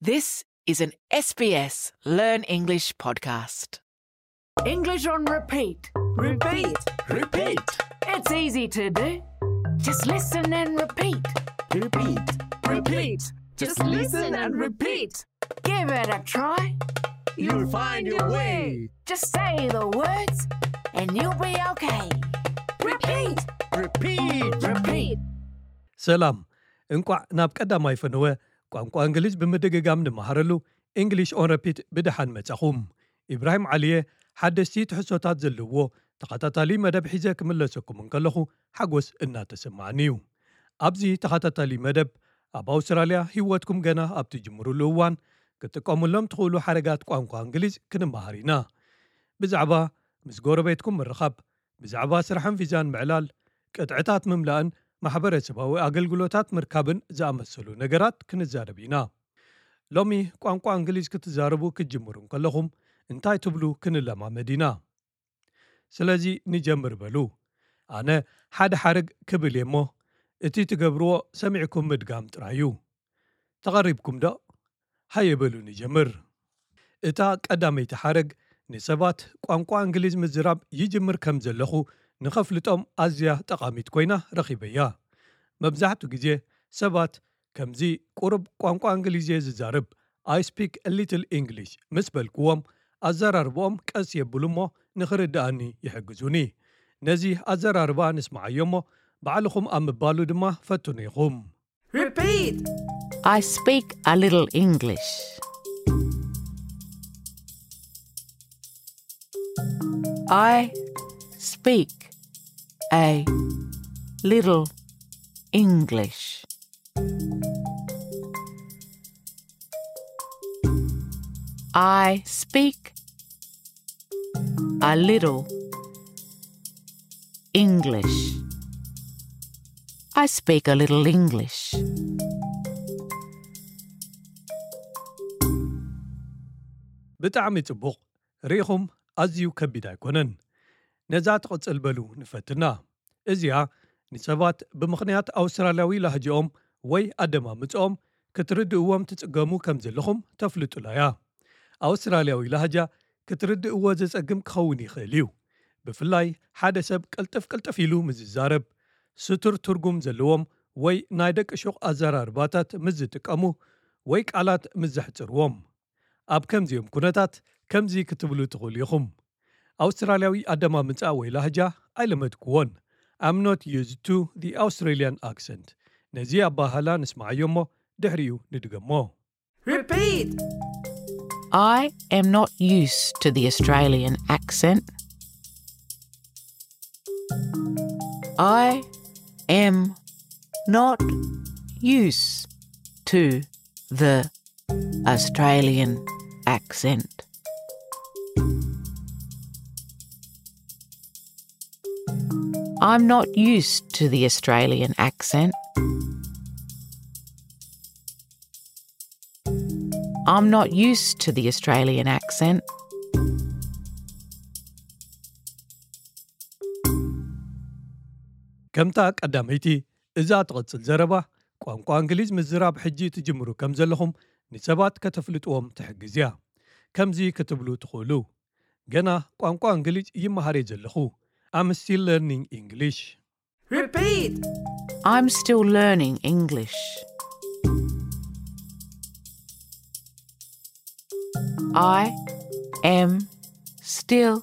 This is an S B S Learn English podcast. English on repeat. Repeat. Repeat. It's easy to do. Just listen and repeat. Repeat. Repeat. Just listen and repeat. Give it a try. You'll find your way. Just say the words and you'll be okay. Repeat. Repeat. Repeat. ሰላም፣ እንቋዕ ናብ ቀዳማይ ፈነወ ቋንቋ እንግሊዝ ብምድግጋም ንመሃረሉ፣ English on Repeat፣ ብደሓን መጻኹም። ኢብራሂም ዓሊየ ሓደስቲ ትሕዝቶታት ዘለዎ ተኸታታሊ መደብ ሒዘ ክምለሰኩም እንከለኹ ሓጎስ እናተሰማዓኒ እዩ። ኣብዚ ተኸታታሊ መደብ፣ ኣብ ኣውስትራልያ ህይወትኩም ገና ኣብ ትጅምሩሉ እዋን ክትጥቀሙሎም ትኽእሉ ሓረጋት ቋንቋ እንግሊዝ ክንመሃር ኢና። ብዛዕባ ምስ ጎረቤትኩም ምርኻብ፣ ብዛዕባ ስራሕን ቪዛን ምዕላል፣ ቅጥዕታት ምምላእን ማሕበረሰባዊ ኣገልግሎታት ምርካብን ዝኣመሰሉ ነገራት ክንዛረብ ኢና። ሎሚ ቋንቋ እንግሊዝ ክትዛረቡ ክትጅምሩ እንከለኹም እንታይ ትብሉ ክንለማመድ ኢና። ስለዚ ንጀምር በሉ። ኣነ ሓደ ሓረግ ክብል እየ እሞ፣ እቲ ትገብርዎ ሰሚዕኩም ምድጋም ጥራይ እዩ። ተቐሪብኩም ዶ? ሃየ በሉ ንጀምር። እታ ቀዳመይቲ ሓረግ ንሰባት ቋንቋ እንግሊዝ ምዝራብ ይጅምር ከም ዘለኹ ንኸፍልጦም ኣዝያ ጠቓሚት ኮይና ረኺበያ። መብዛሕትኡ ግዜ ሰባት ከምዚ ቁሩብ ቋንቋ እንግሊዝ እየ ዝዛረብ፣ I speak a little English፣ ምስ በልክዎም፣ ኣዘራርባኦም ቀስ የብሉ እሞ ንኽርድኣኒ ይሕግዙኒ። ነዚ ኣዘራርባ ንስምዓዮ እሞ ባዕልኹም ኣብ ምባሉ ድማ ፈትኑ ኢኹም። Repeat. I speak a little English. I speak a little English. I speak a little English. I speak a little English. ብጣዕሚ ጽቡቕ። ርኢኹም፣ ኣዝዩ ከቢድ ኣይኮነን። ነዛ ትቕጽል በሉ ንፈትና። እዚኣ ንሰባት ብምኽንያት ኣውስትራልያዊ ላህጅኦም ወይ ኣደማምጽኦም ክትርድእዎም ትጽገሙ ከም ዘለኹም ተፍልጡላ እያ። ኣውስትራልያዊ ላህጃ ክትርድእዎ ዘጸግም ክኸውን ይኽእል እዩ። ብፍላይ ሓደ ሰብ ቅልጥፍ ቅልጥፍ ኢሉ ምስ ዝዛረብ፣ ስቱር ትርጉም ዘለዎም ወይ ናይ ደቂ ሹቕ ኣዘራርባታት ምስ ዝጥቀሙ ወይ ቃላት ምስ ዘሕጽርዎም። ኣብ ከምዚኦም ኩነታት ከምዚ ክትብሉ ትኽእሉ ኢኹም። ኣውስትራልያዊ ኣደማምጻ ወይ ላህጃ ኣይለመድክዎን። I'm not used to the Australian accent። ነዚ ኣባህላ ንስምዓዮ እሞ ድሕሪኡ ንድገሞ። Repeat. I am not used to the Australian accent. I am not used to the Australian accent. I'm not used to the Australian accent. I'm not used to the Australian accent. ከምታ ቀዳመይቲ፣ እዛ ትቕጽል ዘረባ ቋንቋ እንግሊዝ ምዝራብ ሕጂ ትጅምሩ ከም ዘለኹም ንሰባት ከተፍልጥዎም ትሕግዝ እያ። ከምዚ ክትብሉ ትኽእሉ፣ ገና ቋንቋ እንግሊዝ ይመሃር እየ ዘለኹ። I'm still learning English። Repeat. I'm still learning English. I am still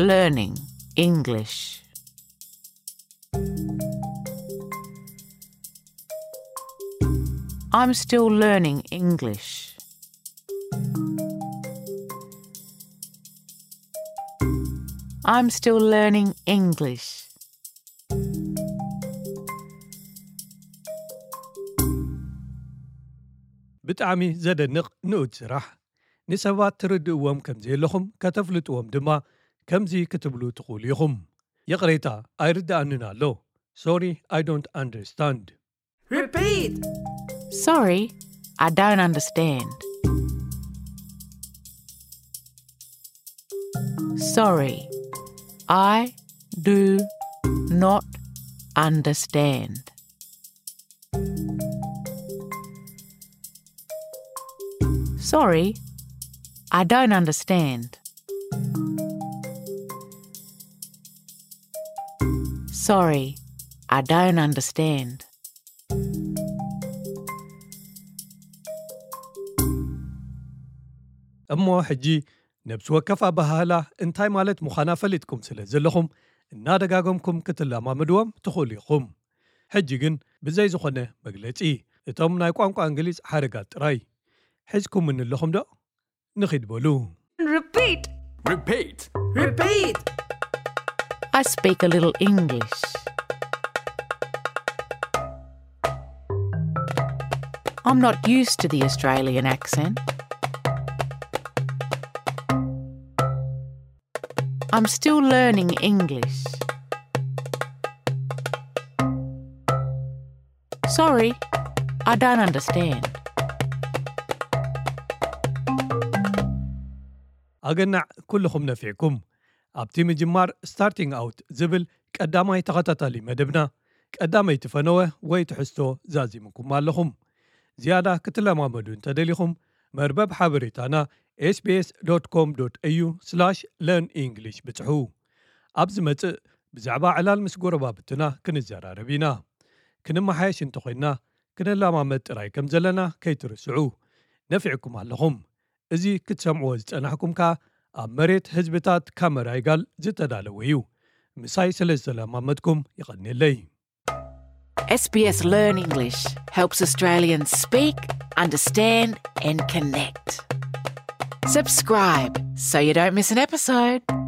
learning English. I'm still learning English. I'm still learning English. ብጣዕሚ ዘደንቕ ንኡድ ስራሕ። ንሰባት ትርድእዎም ከም ዘየለኹም ከተፍልጥዎም ድማ ከምዚ ክትብሉ ትኽእሉ ኢኹም። ይቕሬታ፣ ኣይርድኣንን ኣሎ። Sorry, I don't understand። Repeat. Sorry, I don't understand. Sorry, I do not understand. Sorry, I don't understand. Sorry, I don't understand. እሞ ሕጂ ነብሲ ወከፍ ኣበሃህላ እንታይ ማለት ምዃና ፈሊጥኩም ስለ ዘለኹም እናደጋገምኩም ክትለማመድዎም ትኽእሉ ኢኹም። ሕጂ ግን ብዘይ ዝኾነ መግለጺ እቶም ናይ ቋንቋ እንግሊዝ ሓረጋት ጥራይ ሒዝኩምኒ ኣለኹም ዶ? ንኺድ በሉ። Repeat. Repeat. Repeat. I speak a little English. I'm not used to the Australian accent. I'm still learning English. Sorry, I don't understand. ኣገናዕ ኩልኹም ነፊዕኩም። ኣብቲ ምጅማር ስታርቲንግ ኣውት ዝብል ቀዳማይ ተኸታታሊ መደብና ቀዳመይቲ ፈነወ ወይ ትሕዝቶ ዛዚምኩም ኣለኹም። ዝያዳ ክትለማመዱ እንተደሊኹም መርበብ ሓበሬታና sbs.com.au/learn English ብጽሑ። ኣብ ዝመጽእ ብዛዕባ ዕላል ምስ ጎረባብትና ክንዘራረብ ኢና። ክንመሓየሽ እንተኾይንና ክንለማመድ ጥራይ ከም ዘለና ከይትርስዑ። ነፊዕኩም ኣለኹም። እዚ ክትሰምዕዎ ዝጸናሕኩም ከኣ ኣብ መሬት ህዝብታት ካመራይጋል ዝተዳለወ እዩ። ምሳይ ስለ ዝተለማመድኩም ይቐንየለይ። SBS Learn English helps Australians speak, understand, and connect. Subscribe so you don't miss an episode.